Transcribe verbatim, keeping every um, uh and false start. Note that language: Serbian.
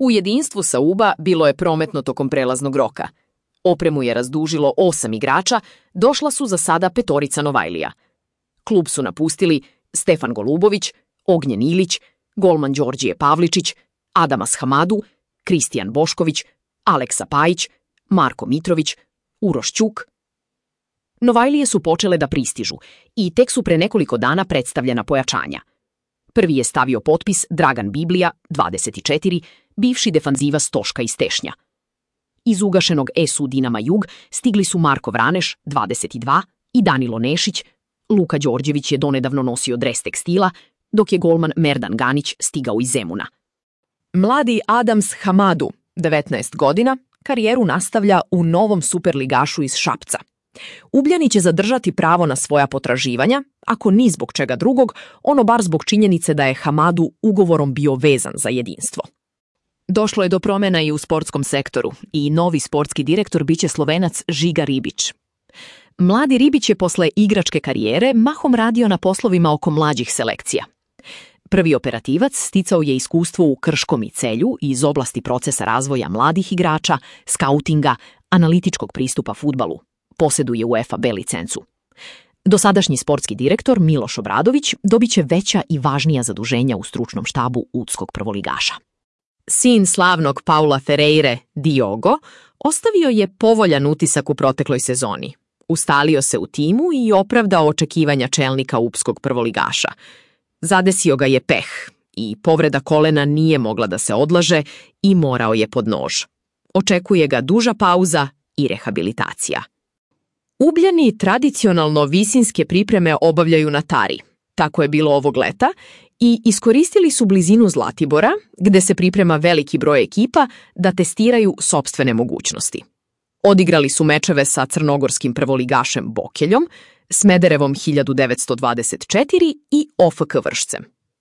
U jedinstvu Sauba bilo je prometno tokom prelaznog roka. Opremu je razdužilo osam igrača, došla su za sada petorica Novajlija. Klub su napustili Stefan Golubović, Ognjen Ilić, golman Đorđije Pavličić, Adamas Hamadu, Kristijan Bošković, Aleksa Pajić, Marko Mitrović, Uroš Ćuk. Novajlije su počele da pristižu i tek su pre nekoliko dana predstavljena pojačanja. Prvi je stavio potpis Dragan Biblija, dvadeset četiri, bivši defanziva Stoška iz Tešnja. Iz ugašenog es u Dinama Jug stigli su Marko Vraneš, dvadeset dva, i Danilo Nešić. Luka Đorđević je donedavno nosio dres Tekstila, dok je golman Merdan Ganić stigao iz Zemuna. Mladi Adams Hamadu, devetnaest godina, karijeru nastavlja u novom superligašu iz Šapca. Ugljani će zadržati pravo na svoja potraživanja, ako ni zbog čega drugog, ono bar zbog činjenice da je Hamadu ugovorom bio vezan za jedinstvo. Došlo je do promjena i u sportskom sektoru i novi sportski direktor biće Slovenac Žiga Ribić. Mladi Ribić je posle igračke karijere mahom radio na poslovima oko mlađih selekcija. Prvi operativac sticao je iskustvo u Krškom i Celju iz oblasti procesa razvoja mladih igrača, skautinga, analitičkog pristupa fudbalu. Posjeduje UEFA B licencu. Dosadašnji sportski direktor Miloš Obradović dobit će veća i važnija zaduženja u stručnom štabu udskog prvoligaša. Sin slavnog Paula Ferreire, Diogo, ostavio je povoljan utisak u protekloj sezoni. Ustalio se u timu i opravdao očekivanja čelnika upskog prvoligaša. Zadesio ga je peh i povreda kolena nije mogla da se odlaže i morao je pod nož. Očekuje ga duža pauza i rehabilitacija. Ugljani tradicionalno visinske pripreme obavljaju na Tari. Tako je bilo ovog leta i iskoristili su blizinu Zlatibora, gde se priprema veliki broj ekipa da testiraju sopstvene mogućnosti. Odigrali su mečeve sa crnogorskim prvoligašem Bokeljom, Smederevom hiljadu devetsto dvadeset četiri i O F K Vršcem.